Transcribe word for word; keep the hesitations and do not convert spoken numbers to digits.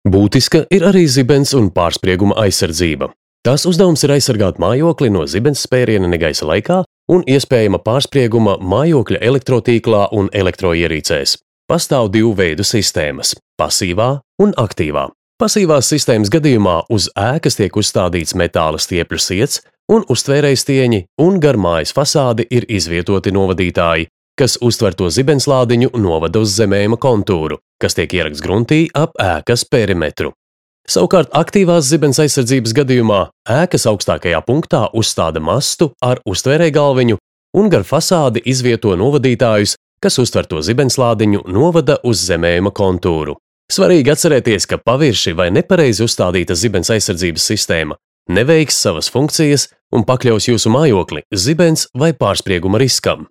Būtiska ir arī zibens un pārsprieguma aizsardzība. Tās uzdevums ir aizsargāt mājokli no zibens spēriena negaisa laikā un iespējama pārsprieguma mājokļa elektrotīklā un elektroierīcēs. Pastāv divu veidu sistēmas – pasīvā un aktīvā. Pasīvās sistēmas gadījumā uz ēkas tiek uzstādīts metāla stiepļu siets un uztvērējstieņi un gar mājas fasādi ir izvietoti novadītāji, kas uztver to zibenslādiņu novada uz zemējuma kontūru, kas tiek ierakts gruntī ap ēkas perimetru. Savukārt aktīvās zibens aizsardzības gadījumā ēkas augstākajā punktā uzstāda mastu ar uztvērējgalviņu un gar fasādi izvieto novadītājus, kas uztver to zibenslādiņu novada uz zemējuma kontūru. Svarīgi atcerēties, ka pavirši vai nepareizi uzstādīta zibens aizsardzības sistēma neveiks savas funkcijas un pakļaus jūsu mājokli zibens vai pārsprieguma riskam.